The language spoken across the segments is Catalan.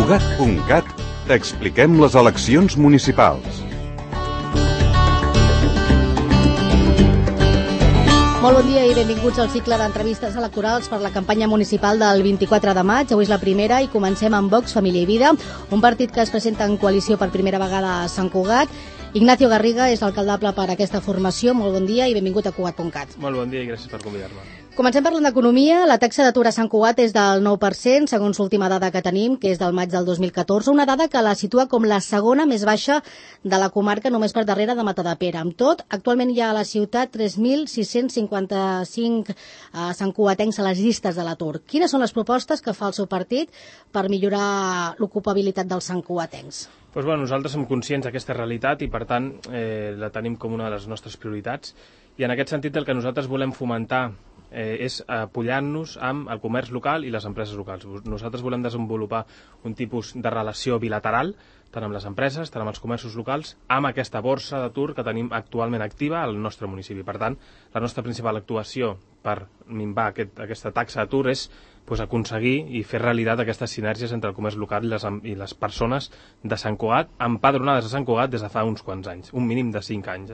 Cugat.cat t'expliquem les eleccions municipals. Molt bon dia i benvinguts al cicle d'entrevistes electorals per la campanya municipal del 24 de maig. Avui és la primera i comencem amb Vox, Família i Vida, un partit que es presenta en coalició per primera vegada a Sant Cugat. Ignacio Garriga és l'alcaldable per aquesta formació. Molt bon dia i benvingut a Cugat.cat. Molt bon dia i gràcies per convidar-me. Comencem parlant d'economia. La taxa d'atur a Sant Cugat és del 9%, segons l'última dada que tenim, que és del maig del 2014, una dada que la situa com la segona més baixa de la comarca, només per darrere de Matadepera. Amb tot, actualment hi ha a la ciutat 3.655 santcugatencs a les llistes de l'atur. Quines són les propostes que fa el seu partit per millorar l'ocupabilitat dels santcugatencs? Doncs nosaltres som conscients d'aquesta realitat i, per tant, la tenim com una de les nostres prioritats. I en aquest sentit el que nosaltres volem fomentar és apoyar-nos amb el comerç local i les empreses locals. Nosaltres volem desenvolupar un tipus de relació bilateral, tant amb les empreses, tant amb els comerços locals, amb aquesta borsa d'atur que tenim actualment activa al nostre municipi. Per tant, la nostra principal actuació per minvar aquesta taxa d'atur és aconseguir i fer realitat aquestes sinergies entre el comerç local i les persones de Sant Cugat, empadronades a Sant Cugat des de fa uns quants anys, un mínim de 5 anys.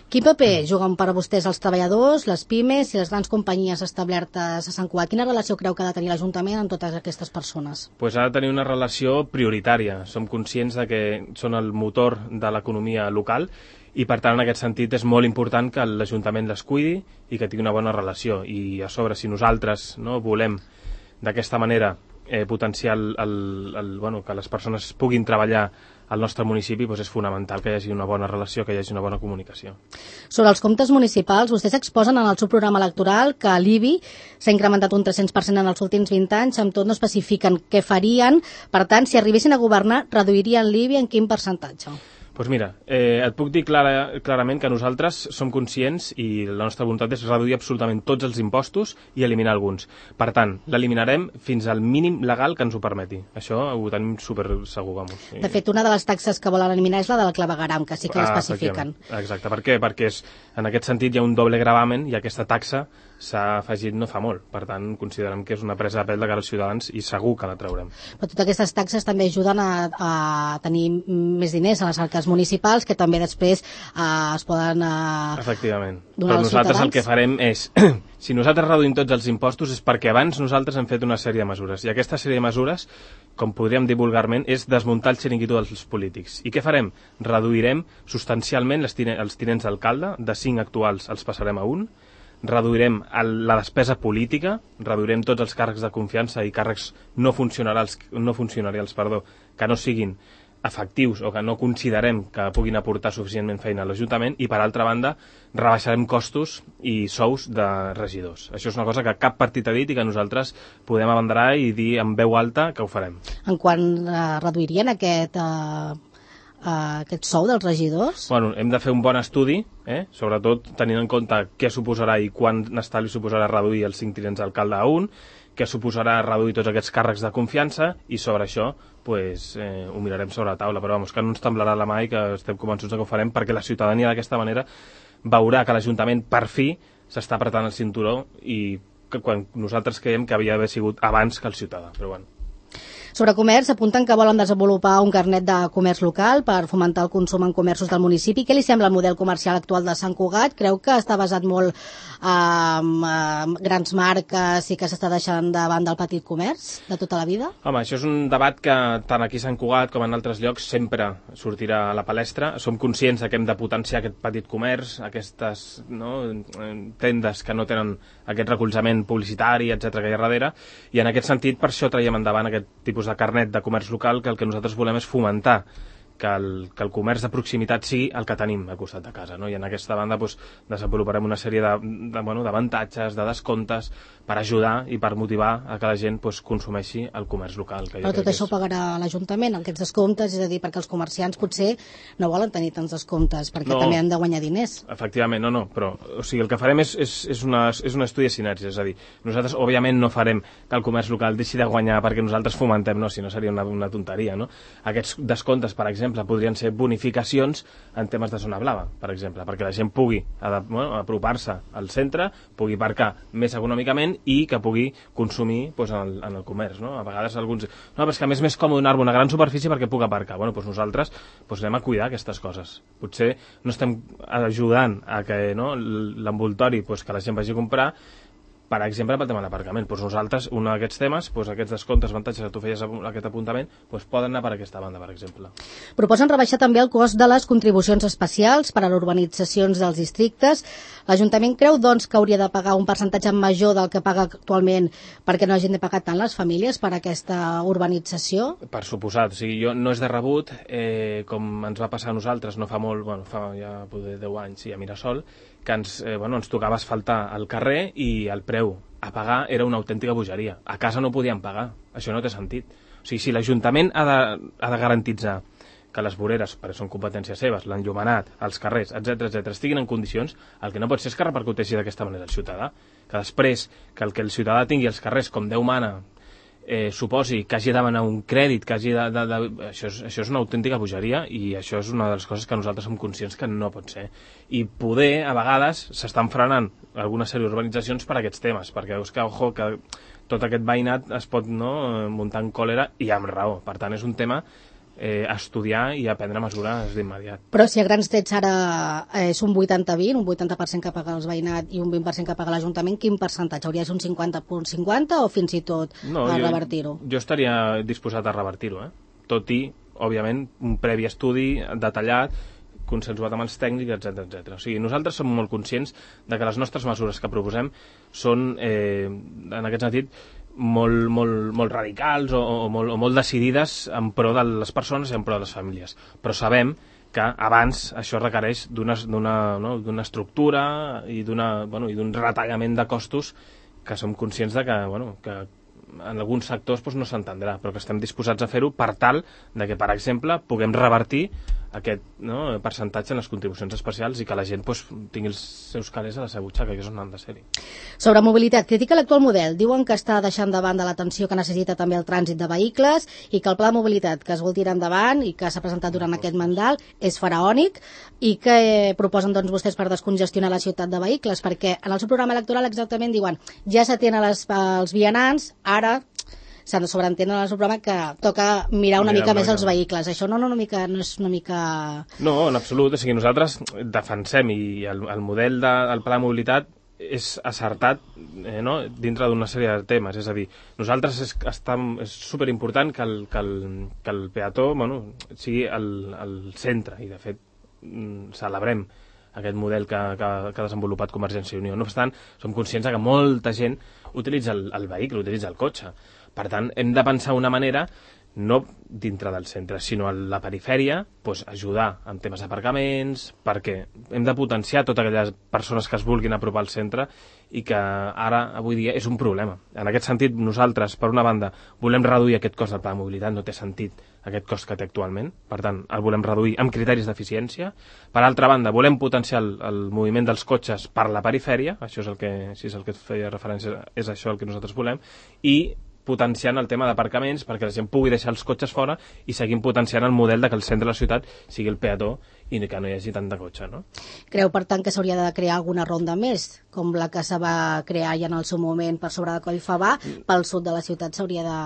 Quin paper juguen per a vostès els treballadors, les pimes i les grans companyies establertes a Sant Cugat? Quina relació creu que ha de tenir l'Ajuntament amb totes aquestes persones? Ha de tenir una relació prioritària. Som conscients de que són el motor de l'economia local i, per tant, en aquest sentit és molt important que l'Ajuntament les cuidi i que tingui una bona relació. I a sobre, si nosaltres volem d'aquesta manera potenciar que les persones puguin treballar al nostre municipi, és fonamental que hi hagi una bona relació, que hi hagi una bona comunicació. Sobre els comptes municipals, vostès exposen en el seu programa electoral que l'IBI s'ha incrementat un 300% en els últims 20 anys, amb tot no especifiquen què farien. Per tant, si arribessin a governar, reduirien l'IBI en quin percentatge? Doncs mira, et puc dir clarament que nosaltres som conscients i la nostra voluntat és reduir absolutament tots els impostos i eliminar alguns. Per tant, l'eliminarem fins al mínim legal que ens ho permeti. Això ho tenim super segur, vamos. De fet, una de les taxes que volen eliminar és la del clavegueram, que sí que l'especifiquen. Exacte. Per què? Perquè en aquest sentit hi ha un doble gravamen i aquesta taxa s'ha afegit no fa molt. Per tant, considerem que és una presa de pèl de cara als ciutadans i segur que la traurem. Però totes aquestes taxes també ajuden a tenir més diners a les arques municipals, que també després es poden efectivament. Donar Però als nosaltres ciutadans. El que farem és, si nosaltres reduïm tots els impostos és perquè abans nosaltres hem fet una sèrie de mesures. I aquesta sèrie de mesures, com podríem dir vulgarment, és desmuntar el xiringuito dels polítics. I què farem? Reduirem substancialment els tinents d'alcalde, de 5 actuals els passarem a 1, reduirem la despesa política, reduirem tots els càrrecs de confiança i càrrecs no funcionarials, que no siguin efectius o que no considerem que puguin aportar suficientment feina a l'Ajuntament, i per altra banda rebaixarem costos i sous de regidors. Això és una cosa que cap partit ha dit i que nosaltres podem abanderar i dir amb veu alta que ho farem. En quan reduirien aquest sou dels regidors? Hem de fer un bon estudi, sobretot tenint en compte què suposarà i quant estalvi suposarà reduir els 5 tinents d'alcalde a 1, què suposarà reduir tots aquests càrrecs de confiança, i sobre això ho mirarem sobre la taula, però que no ens temblarà la mà i que estem convençuts que ho farem, perquè la ciutadania d'aquesta manera veurà que l'Ajuntament per fi s'està apretant el cinturó, i que quan nosaltres creiem que havia d'haver sigut abans que el ciutadà, però Sobre comerç, apunten que volen desenvolupar un carnet de comerç local per fomentar el consum en comerços del municipi. Què li sembla el model comercial actual de Sant Cugat? Creu que està basat molt en grans marques i que s'està deixant de banda el petit comerç de tota la vida? Home, això és un debat que tant aquí a Sant Cugat com en altres llocs sempre sortirà a la palestra. Som conscients que hem de potenciar aquest petit comerç, aquestes tendes que no tenen aquest recolzament publicitari, etc que hi ha darrere, i en aquest sentit per això traiem endavant aquest tipus de carnet de comerç local, que el que nosaltres volem és fomentar que el comerç de proximitat sigui el que tenim al costat de casa, I en aquesta banda desenvoluparem una sèrie d'avantatges, de descomptes per ajudar i per motivar a que la gent consumeixi el comerç local. Però tot això ho pagarà l'Ajuntament, aquests descomptes, és a dir, perquè els comerciants potser no volen tenir tants descomptes, perquè també han de guanyar diners. Efectivament, però el que farem és un estudi de sinergies, és a dir, nosaltres òbviament no farem que el comerç local deixi de guanyar perquè nosaltres fomentem, si no seria una tonteria, Aquests descomptes, per exemple, exemple, podrien ser bonificacions en temes de zona blava, per exemple, perquè la gent pugui apropar-se al centre, pugui aparcar més econòmicament i que pugui consumir en el comerç. No? A vegades alguns... No, però és que a més còmode donar-me una gran superfície perquè puc aparcar. Doncs nosaltres anem a cuidar aquestes coses. Potser no estem ajudant a que l'envoltori que la gent vagi a comprar, per exemple, pel tema de l'aparcament. Nosaltres, un d'aquests temes, aquests descomptes, avantatges que tu feies aquest apuntament, poden anar per aquesta banda, per exemple. Proposen rebaixar també el cost de les contribucions especials per a les urbanitzacions dels districtes. L'Ajuntament creu, doncs, que hauria de pagar un percentatge major del que paga actualment perquè no hagin de pagar tant les famílies per aquesta urbanització? Per suposat. O sigui, no és de rebut, com ens va passar a nosaltres, no fa molt, fa ja poder 10 anys, a Mirasol, que ens tocava asfaltar el carrer i el preu a pagar era una autèntica bogeria. A casa no podíem pagar. Això no té sentit. O sigui, si l'Ajuntament ha de garantitzar que les voreres, perquè són competències seves, l'enllumenat, els carrers, etc estiguin en condicions, el que no pot ser és que repercuteixi d'aquesta manera el ciutadà. Que després, que el ciutadà tingui els carrers com Déu mana, suposi que hagi de demanar un crèdit, que hagi això és una autèntica bogeria i això és una de les coses que nosaltres som conscients que no pot ser. I poder, a vegades, s'estan frenant algunes sèries d'urbanitzacions per aquests temes, perquè veus que tot aquest veïnat es pot muntar en còlera i amb raó. Per tant, és un tema a estudiar i a prendre mesures d'immediat. Però si a grans trets ara és un 80-20, un 80% que paga els veïnat i un 20% que paga l'Ajuntament, quin percentatge? Hauria de ser un 50-50 o fins i tot revertir-ho? Jo estaria disposat a revertir-ho, tot i, òbviament, un previ estudi detallat, consensuat amb els tècnics, etc. O sigui, nosaltres som molt conscients de que les nostres mesures que proposem són, en aquest sentit, molt radicals o molt decidides en pro de les persones i en pro de les famílies. Però sabem que abans això requereix d'una estructura i d'un retallament de costos que som conscients de que en alguns sectors no s'entendrà, però que estem disposats a fer-ho per tal de que, per exemple, puguem revertir aquest percentatge en les contribucions especials i que la gent tingui els seus calés a la seva butxaca, que és on han de ser-hi. Sobre mobilitat, critica l'actual model. Diuen que està deixant de banda l'atenció que necessita també el trànsit de vehicles i que el pla de mobilitat que es vol tirar endavant i que s'ha presentat durant aquest mandat és faraònic i que proposen vostès per descongestionar la ciutat de vehicles, perquè en el seu programa electoral exactament diuen ja s'atén als vianants, ara s'han de sobreentendre en el seu programa que toca mirar una mica més els vehicles. Això no és una mica... No, en absolut. O sigui, nosaltres defensem i el model del pla de mobilitat és acertat dintre d'una sèrie de temes. És a dir, nosaltres és superimportant que el peató sigui al centre i, de fet, celebrem aquest model que ha desenvolupat Convergència i Unió. No obstant, som conscients que molta gent utilitza el vehicle, utilitza el cotxe. Per tant, hem de pensar una manera, no dintre del centre, sinó a la perifèria, ajudar en temes d'aparcaments, perquè hem de potenciar totes aquelles persones que es vulguin apropar al centre i que ara, avui dia, és un problema. En aquest sentit, nosaltres, per una banda, volem reduir aquest cost del pla de mobilitat, no té sentit aquest cost que té actualment, per tant, el volem reduir amb criteris d'eficiència. Per altra banda, volem potenciar el moviment dels cotxes per la perifèria, això és el que, si és el que feia referència, és això el que nosaltres volem, i potenciant el tema d'aparcaments perquè la gent pugui deixar els cotxes fora i seguim potenciant el model de que el centre de la ciutat sigui el peató i que no hi hagi tant de cotxe, no? Creu, per tant, que s'hauria de crear alguna ronda més, com la que se va crear ja en el seu moment per sobre de Collfabà, pel sud de la ciutat s'hauria de...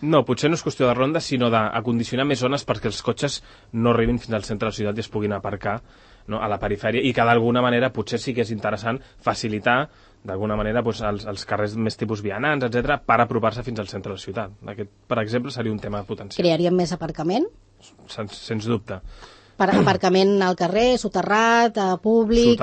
No, potser no és qüestió de ronda, sinó d'acondicionar més zones perquè els cotxes no arribin fins al centre de la ciutat i es puguin aparcar a la perifèria i que d'alguna manera potser sí que és interessant facilitar d'alguna manera els carrers més tipus vianants, etc, per apropar-se fins al centre de la ciutat. Aquest, per exemple, seria un tema potencial. Crearíem més aparcament? Sens dubte. Per aparcament al carrer, soterrat, públic,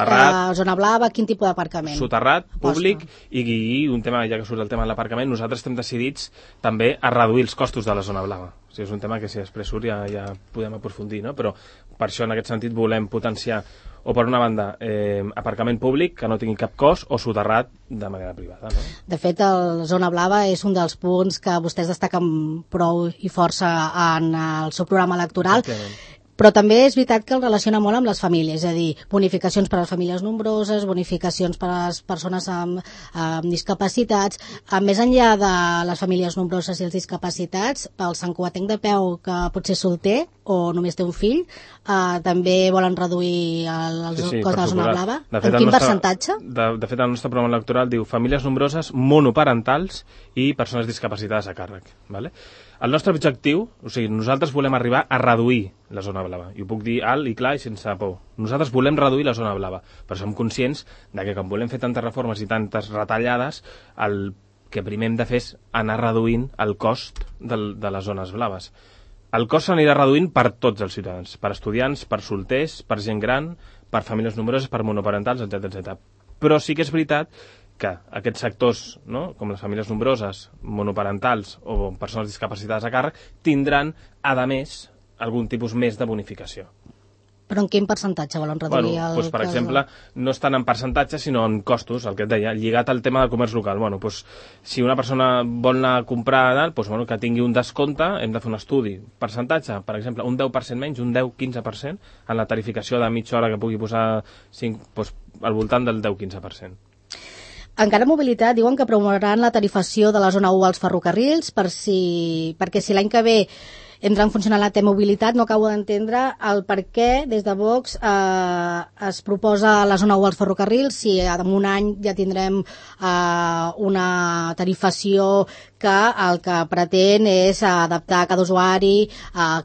zona blava, quin tipus d'aparcament? Soterrat, públic i un tema, ja que surt el tema de l'aparcament, nosaltres estem decidits també a reduir els costos de la zona blava. O sigui, és un tema que si després surt ja podem aprofundir, no? Però per això en aquest sentit volem potenciar o per una banda aparcament públic que no tingui cap cost o soterrat de manera privada, no? De fet, la zona blava és un dels punts que vostès destaquen prou i força en el seu programa electoral. Però també és veritat que el relaciona molt amb les famílies, és a dir, bonificacions per a les famílies nombroses, bonificacions per a les persones amb discapacitats. Més enllà de les famílies nombroses i els discapacitats, pel santcugatenc de peu que potser és solter o només té un fill, també volen reduir el cost de la zona blava. En quin percentatge? De fet, el nostre programa electoral diu famílies nombroses, monoparentals i persones discapacitades a càrrec. Vale? El nostre objectiu, o sigui, nosaltres volem arribar a reduir la zona blava. I ho puc dir alt i clar i sense por. Nosaltres volem reduir la zona blava, però som conscients de que quan volem fer tantes reformes i tantes retallades, el que primer hem de fer és anar reduint el cost de les zones blaves. El cost s'anirà reduint per tots els ciutadans, per estudiants, per solters, per gent gran, per famílies nombroses, per monoparentals, etc. Però sí que és veritat que aquests sectors, no, com les famílies nombroses, monoparentals o persones discapacitades a càrrec, tindran, a més, algun tipus més de bonificació. Però en quin percentatge volen reduir doncs, per exemple, no estan en percentatge, sinó en costos, el que et deia, lligat al tema del comerç local. Doncs, si una persona vol anar a comprar, doncs, que tingui un descompte, hem de fer un estudi. Percentatge, per exemple, un 10% menys, un 10-15% en la tarificació de mitja hora que pugui posar al voltant del 10-15%. Encara Mobilitat diuen que promouran la tarifació de la zona 1 als ferrocarrils perquè si l'any que ve entra en funcionar la T-Mobilitat, no acabo d'entendre el per què des de Vox es proposa la zona 1 als ferrocarrils si en un any ja tindrem una tarifació que el que pretén és adaptar a cada usuari,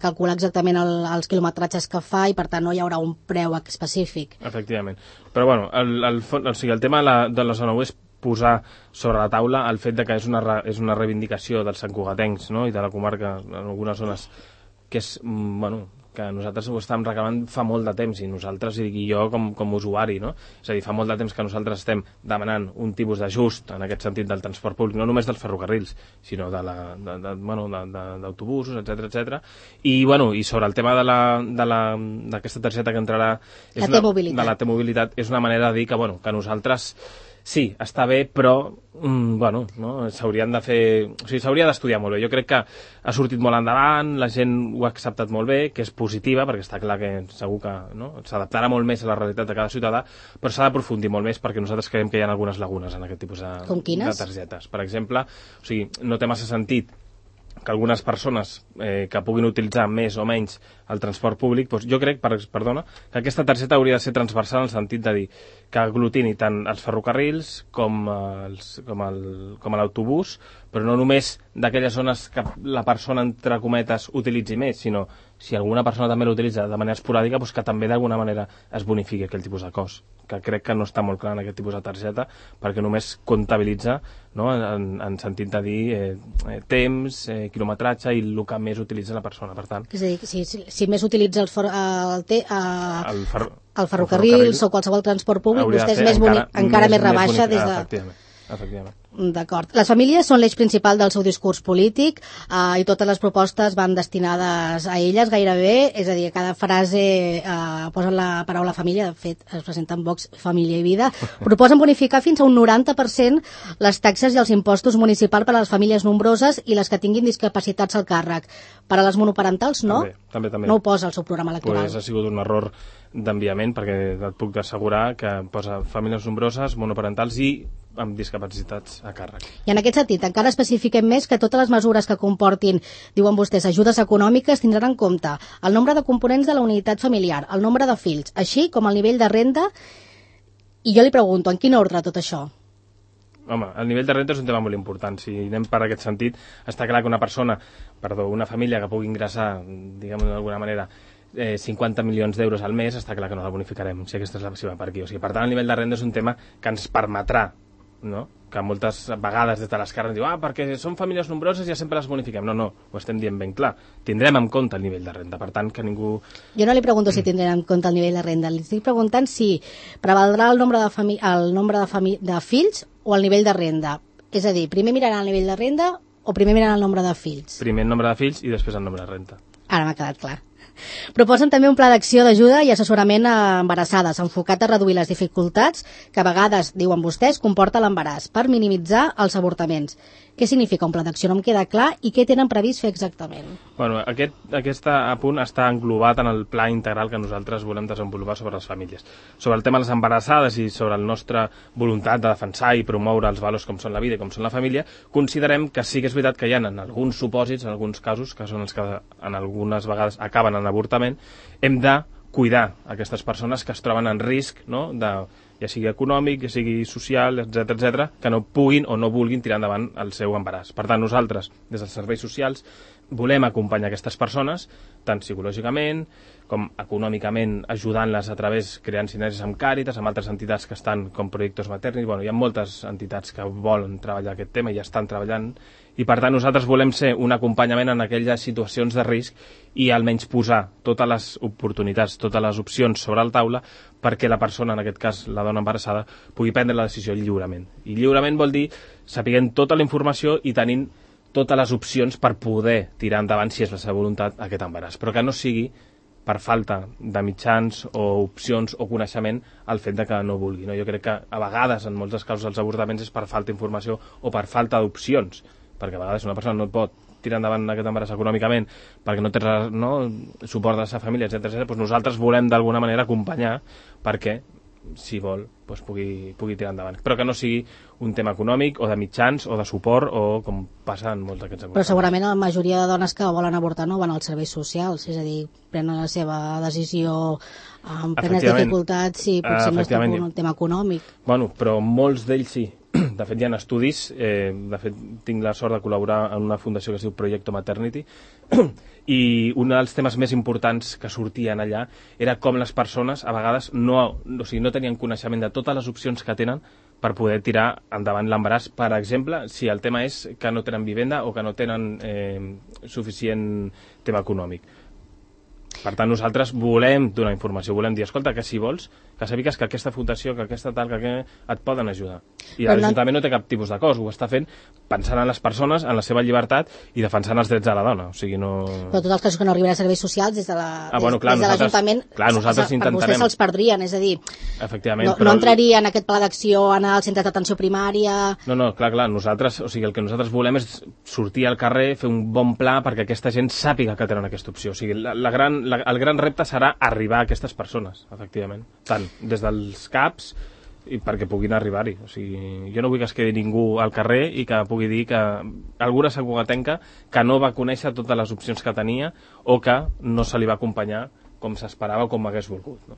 calcular exactament els quilometratges que fa i per tant no hi haurà un preu específic. Efectivament. Però bueno, el tema de la zona 1 és posar sobre la taula el fet de que és una reivindicació dels santcugatencs, no? I de la comarca en algunes zones que és, que nosaltres ho estàvem reclamant fa molt de temps i nosaltres, i jo com a usuari, no? És a dir, fa molt de temps que nosaltres estem demanant un tipus d'ajust en aquest sentit del transport públic, no només dels ferrocarrils, sinó d'autobusos, etc. I sobre el tema d'aquesta targeta que entrarà de la T-Mobilitat, és una manera de dir que nosaltres sí, està bé, però s'hauria d'estudiar molt bé. Jo crec que ha sortit molt endavant, la gent ho ha acceptat molt bé, que és positiva, perquè està clar que segur que s'adaptarà molt més a la realitat de cada ciutadà, però s'ha d'aprofundir molt més perquè nosaltres creiem que hi ha algunes lagunes en aquest tipus de targetes. Per exemple, no té massa sentit que algunes persones que puguin utilitzar més o menys el transport públic, jo crec, que aquesta targeta hauria de ser transversal en el sentit de dir que aglutini tant els ferrocarrils com l'autobús, però no només d'aquelles zones que la persona, entre cometes, utilitzi més, sinó si alguna persona també l'utilitza de manera esporàdica, que també d'alguna manera es bonifiqui aquell tipus de cost, que crec que no està molt clar en aquest tipus de targeta, perquè només comptabilitza en sentit de dir temps, quilometratge i el que més utilitza la persona, per tant. És a dir, si més utilitza el ferrocarrils o qualsevol transport públic, vostè és encara més rebaixa des de... Efectivament. D'acord. Les famílies són l'eix principal del seu discurs polític i totes les propostes van destinades a elles gairebé, és a dir, a cada frase posen la paraula família, de fet es presenten Vox, Família i Vida, proposen bonificar fins a un 90% les taxes i els impostos municipals per a les famílies nombroses i les que tinguin discapacitats al càrrec. Per a les monoparentals no? També. No ho posa al seu programa electoral. Ha sigut un error d'enviament, perquè et puc assegurar que posa famílies nombroses, monoparentals i amb discapacitats a càrrec. I en aquest sentit, encara especifiquem més que totes les mesures que comportin, diuen vostès, ajudes econòmiques tindran en compte el nombre de components de la unitat familiar, el nombre de fills, així com el nivell de renda, i jo li pregunto, en quin ordre tot això? Home, el nivell de renda és un tema molt important. Si anem per aquest sentit, està clar que una família que pugui ingressar, diguem-ho d'alguna manera, 50 milions d'euros al mes, està clar que no la bonificarem, si aquesta és la seva per aquí. Per tant, el nivell de renda és un tema que ens permetrà, que moltes vegades des de l'esquerra ens diu perquè són famílies nombroses i ja sempre les bonifiquem. No, ho estem dient ben clar. Tindrem en compte el nivell de renda, per tant que ningú... Jo no li pregunto si tindrem en compte el nivell de renda, li estic preguntant si prevaldrà el nombre de fills o el nivell de renda. És a dir, primer miraran el nivell de renda o primer miraran el nombre de fills? Primer el nombre de fills i després el nombre de renda. Ara m'ha quedat clar. Proposen també un pla d'acció d'ajuda i assessorament a embarassades, enfocat a reduir les dificultats que a vegades, diuen vostès, comporta l'embaràs, per minimitzar els avortaments. Què significa un pla d'acció? No em queda clar, i què tenen previst fer exactament? Bueno, aquest apunt està englobat en el pla integral que nosaltres volem desenvolupar sobre les famílies. Sobre el tema de les embarassades i sobre la nostra voluntat de defensar i promoure els valors com són la vida i com són la família, considerem que sí que és veritat que hi ha en alguns supòsits, en alguns casos, que són els que en algunes vegades acaben en avortament, hem de cuidar aquestes persones que es troben en risc, no?, ja sigui econòmic, ja sigui social, etc, que no puguin o no vulguin tirar endavant el seu embaràs. Per tant, nosaltres, des dels serveis socials, volem acompanyar aquestes persones, tant psicològicament com econòmicament, ajudant-les a través, creant sinergies amb Càritas, amb altres entitats que estan com Proyectos Maternis. Bueno, hi ha moltes entitats que volen treballar aquest tema i ja estan treballant, i per tant nosaltres volem ser un acompanyament en aquelles situacions de risc i almenys posar totes les oportunitats, totes les opcions sobre la taula perquè la persona, en aquest cas la dona embarassada, pugui prendre la decisió lliurement. I lliurement vol dir sapiguent tota la informació i tenint totes les opcions per poder tirar endavant, si és la seva voluntat, aquest embaràs. Però que no sigui per falta de mitjans o opcions o coneixement el fet de que no vulgui. No? Jo crec que a vegades, en molts dels casos, els avortaments és per falta d'informació o per falta d'opcions, perquè a vegades una persona no pot tirar endavant aquest embaràs econòmicament perquè no té suport de la seva família, etc. Doncs nosaltres volem d'alguna manera acompanyar perquè, si vol, doncs pugui tirar endavant. Però que no sigui un tema econòmic o de mitjans o de suport o com passa en molts d'aquests avortaments. Però segurament la majoria de dones que volen avortar no van als serveis socials, és a dir, prenen la seva decisió amb plenes dificultats i potser no és un tema econòmic. Bueno, però molts d'ells sí. De fet, hi ha estudis, de fet, tinc la sort de col·laborar en una fundació que es diu Proyectos Maternity, i un dels temes més importants que sortien allà era com les persones a vegades no tenien coneixement de totes les opcions que tenen per poder tirar endavant l'embaràs. Per exemple, si el tema és que no tenen vivenda o que no tenen suficient tema econòmic. Per tant, nosaltres volem donar informació, volem dir, escolta, que si vols, que sàpigues que aquesta fundació, que aquesta tal, que et poden ajudar. I l'Ajuntament no té cap tipus de cost, ho està fent pensant en les persones, en la seva llibertat i defensant els drets de la dona. O sigui, no... Però tots els casos que no arriben a serveis socials, des de l'Ajuntament, per vostès se'ls perdrien, és a dir, no entraria en aquest pla d'acció, anar als centres d'atenció primària... No, clar, nosaltres, o sigui, el que nosaltres volem és sortir al carrer, fer un bon pla perquè aquesta gent sàpiga que tenen aquesta opció. O sigui, el gran repte serà arribar a aquestes persones, efectivament, tant des dels CAPs i perquè puguin arribar-hi. O sigui, jo no vull que es quedi ningú al carrer i que pugui dir que alguna sagugatenca que no va conèixer totes les opcions que tenia o que no se li va acompanyar com s'esperava o com hagués volgut. No?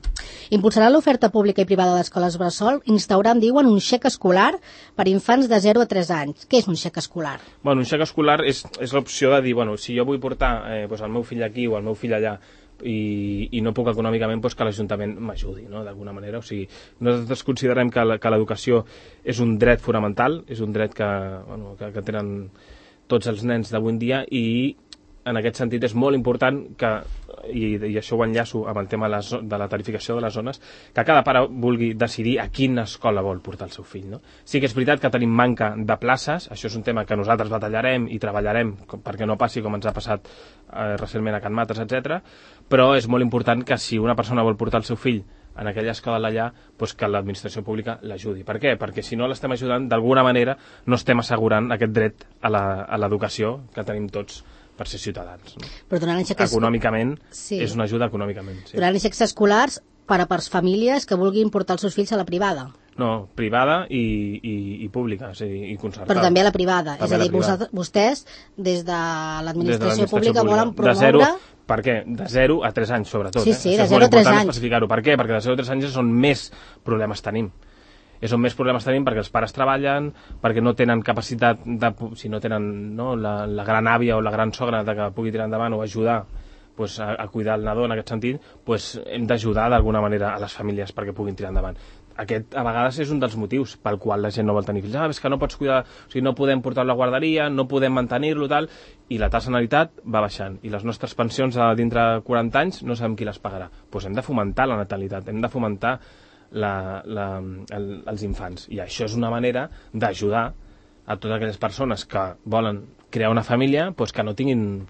Impulsarà l'oferta pública i privada d'escoles bressol, instaurant, diuen, un xec escolar per infants de 0 a 3 anys. Què és un xec escolar? Bueno, un xec escolar és l'opció de dir, bueno, si jo vull portar el meu fill aquí o el meu fill allà i no puc econòmicament, doncs que l'Ajuntament m'ajudi, no? D'alguna manera. O sigui, nosaltres considerem que l'educació és un dret fonamental, és un dret que tenen tots els nens d'avui en dia, i en aquest sentit és molt important que, i això ho enllaço amb el tema de la tarificació de les zones, que cada pare vulgui decidir a quina escola vol portar el seu fill. No? Sí que és veritat que tenim manca de places, això és un tema que nosaltres batallarem i treballarem perquè no passi com ens ha passat recentment a Can Mates, etc. Però és molt important que si una persona vol portar el seu fill en aquella escola d'allà, doncs que l'administració pública l'ajudi. Per què? Perquè si no l'estem ajudant, d'alguna manera no estem assegurant aquest dret a l'educació que tenim tots per ser ciutadans. No? Però econòmicament, sí. És una ajuda econòmicament. Sí. Donaran xecs escolars per a famílies que vulguin portar els seus fills a la privada. No, privada i pública, o sigui, i concertada. Però també a la privada. És a dir, vostès, des de l'administració pública, volen promoure... Per què? De 0 a 3 anys, sobretot. Sí, de 0 a 3 anys. Especificar-ho. Per què? Perquè de 0 a 3 anys és on més problemes tenim. És on més problemes tenim perquè els pares treballen, perquè no tenen capacitat, si no tenen la gran àvia o la gran sogra que pugui tirar endavant o ajudar a cuidar el nadó en aquest sentit, hem d'ajudar d'alguna manera a les famílies perquè puguin tirar endavant. Aquest, a vegades, és un dels motius pel qual la gent no vol tenir fills. És que no pots cuidar, o sigui, no podem portar-lo a la guarderia, no podem mantenir-lo, tal, i la tassa de natalitat va baixant. I les nostres pensions dintre de 40 anys no sabem qui les pagarà. Doncs hem de fomentar la natalitat, hem de fomentar els infants. I això és una manera d'ajudar a totes aquelles persones que volen crear una família, que no tinguin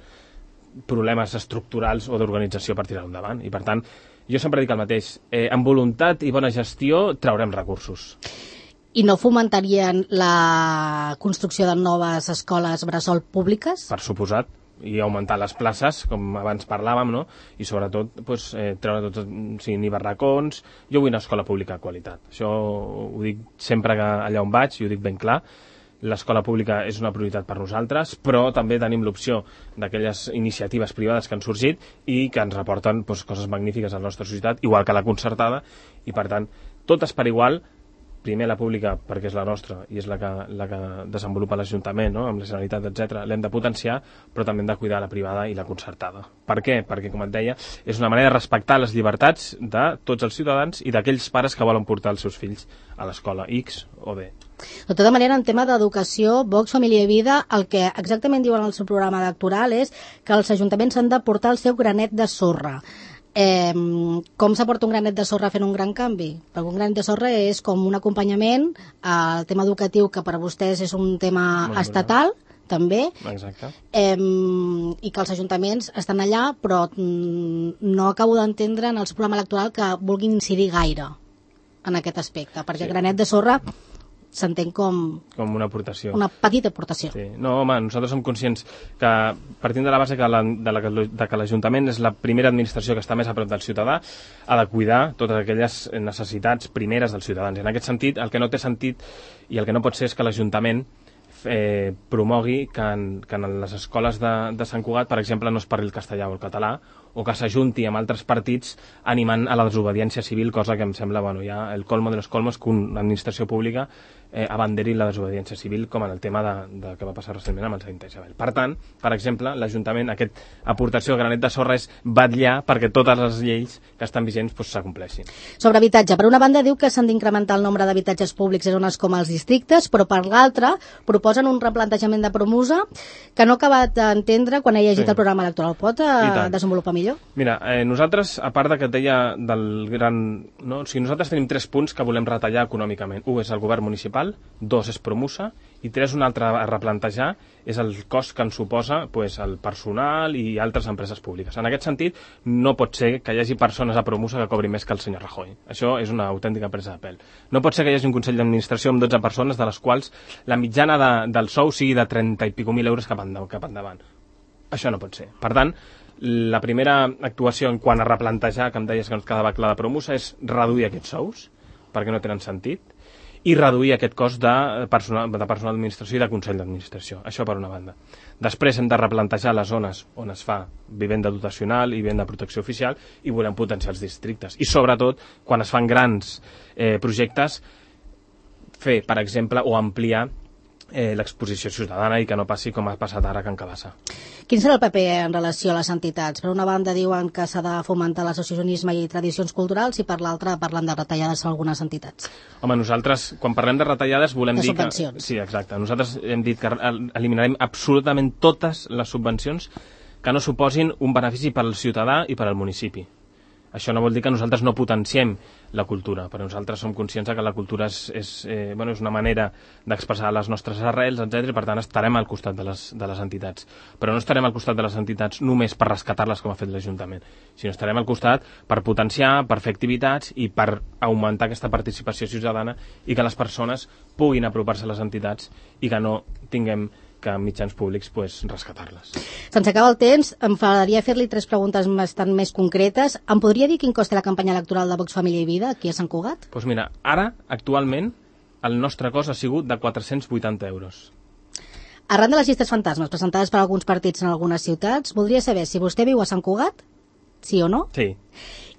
problemes estructurals o d'organització per tirar-ho endavant. I, per tant, jo sempre dic el mateix. Amb voluntat i bona gestió traurem recursos. I no fomentarien la construcció de noves escoles bressol públiques? Per suposat, i augmentar les places, com abans parlàvem, no? I sobretot treure tots, ni barracons. Jo vull una escola pública de qualitat. Això ho dic sempre allà on vaig i ho dic ben clar. L'escola pública és una prioritat per nosaltres, però també tenim l'opció d'aquelles iniciatives privades que han sorgit i que ens reporten coses magnífiques a la nostra societat, igual que la concertada, i per tant, totes per igual. Primer la pública, perquè és la nostra i és la que desenvolupa l'Ajuntament, no? Amb la Generalitat, etc. L'hem de potenciar, però també hem de cuidar la privada i la concertada. Per què? Perquè, com et deia, és una manera de respectar les llibertats de tots els ciutadans i d'aquells pares que volen portar els seus fills a l'escola X o B. De tota manera, en tema d'educació, Vox, Família i Vida, el que exactament diuen en el seu programa electoral és que els ajuntaments han de portar el seu granet de sorra. Com s'aporta un granet de sorra fent un gran canvi? Perquè un granet de sorra és com un acompanyament al tema educatiu, que per a vostès és un tema estatal, també. Exacte. I que els ajuntaments estan allà, però no acabo d'entendre en el seu programa electoral que vulguin incidir gaire en aquest aspecte, perquè granet de sorra s'entén com una aportació. Una petita aportació. Sí. No, home, nosaltres som conscients que, partint de la base que l'Ajuntament és la primera administració que està més a prop del ciutadà, ha de cuidar totes aquelles necessitats primeres dels ciutadans. En aquest sentit, el que no té sentit i el que no pot ser és que l'Ajuntament promogui que en les escoles de Sant Cugat, per exemple, no es parli el castellà o el català, o que s'ajunti amb altres partits animant a la desobediència civil, cosa que em sembla, ja el colmo de los colmos que una administració pública abanderi la desobediència civil, com en el tema de que va passar recentment amb el Sant Isabel. Per tant, per exemple, l'Ajuntament, aquesta aportació de granet de sorra és vetllar perquè totes les lleis que estan vigents s'acompleixin. Sobre habitatge, per una banda diu que s'han d'incrementar el nombre d'habitatges públics en zones com els districtes, però per l'altra proposen un replantejament de Promusa que no he acabat d'entendre quan he llegit el programa electoral. Pot desenvolupar millor? Mira, nosaltres, a part que et deia del gran... No? O sigui, nosaltres tenim 3 punts que volem retallar econòmicament. 1 és el govern municipal, 2 és Promusa, i 3, un altre a replantejar, és el cost que ens suposa el personal i altres empreses públiques. En aquest sentit, no pot ser que hi hagi persones a Promusa que cobrin més que el senyor Rajoy. Això és una autèntica presa de pèl. No pot ser que hi hagi un Consell d'Administració amb 12 persones, de les quals la mitjana del sou sigui de 30 i pico mil euros cap endavant. Això no pot ser. Per tant, la primera actuació en quant a replantejar, que em deies que no et quedava clar de Promusa, és reduir aquests sous, perquè no tenen sentit, i reduir aquest cost de personal d'administració i de Consell d'Administració. Això per una banda. Després hem de replantejar les zones on es fa vivenda dotacional i vivenda de protecció oficial i volem potenciar els districtes. I sobretot, quan es fan grans projectes, fer, per exemple, o ampliar l'exposició ciutadana i que no passi com ha passat ara a Can Cabassa. Quin serà el paper en relació a les entitats? Per una banda diuen que s'ha de fomentar l'associacionisme i tradicions culturals i per l'altra parlen de retallades a algunes entitats. Home, nosaltres, quan parlem de retallades, volem dir que... Sí, exacte. Nosaltres hem dit que eliminarem absolutament totes les subvencions que no suposin un benefici per al ciutadà i per al municipi. Això no vol dir que nosaltres no potenciem la cultura, però nosaltres som conscients que la cultura és una manera d'expressar les nostres arrels, etc. I per tant estarem al costat de les entitats. Però no estarem al costat de les entitats només per rescatar-les com ha fet l'Ajuntament, sinó estarem al costat per potenciar, per fer activitats i per augmentar aquesta participació ciutadana i que les persones puguin apropar-se a les entitats i que no tinguem que mitjans públics rescatar-les. Se'ns acaba el temps, em faria fer-li 3 preguntes bastant més concretes. Em podria dir quin costa la campanya electoral de Vox, Família i Vida aquí a Sant Cugat? Doncs mira, ara, actualment, el nostre cost ha sigut de 480 euros. Arran de les llistes fantasmes presentades per alguns partits en algunes ciutats, voldria saber si vostè viu a Sant Cugat, sí o no? Sí.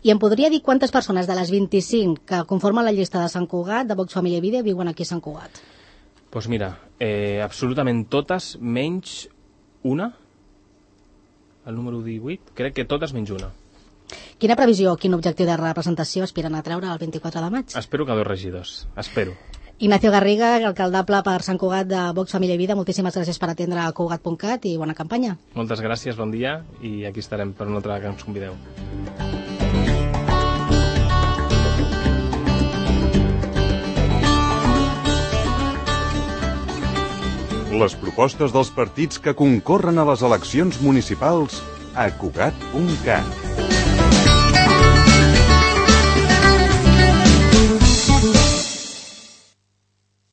I em podria dir quantes persones de les 25 que conformen la llista de Sant Cugat, de Vox, Família i Vida, viuen aquí a Sant Cugat? Doncs mira, absolutament totes, menys una, el número 18, crec que totes menys una. Quina previsió, quin objectiu de representació aspiren a treure el 24 de maig? Espero que 2 regidors, espero. Ignacio Garriga, alcaldable per Sant Cugat de Vox, Família i Vida, moltíssimes gràcies per atendre a Cugat.cat i bona campanya. Moltes gràcies, bon dia, i aquí estarem per una altra que ens convideu. Les propostes dels partits que concorren a les eleccions municipals a Cugat.cat.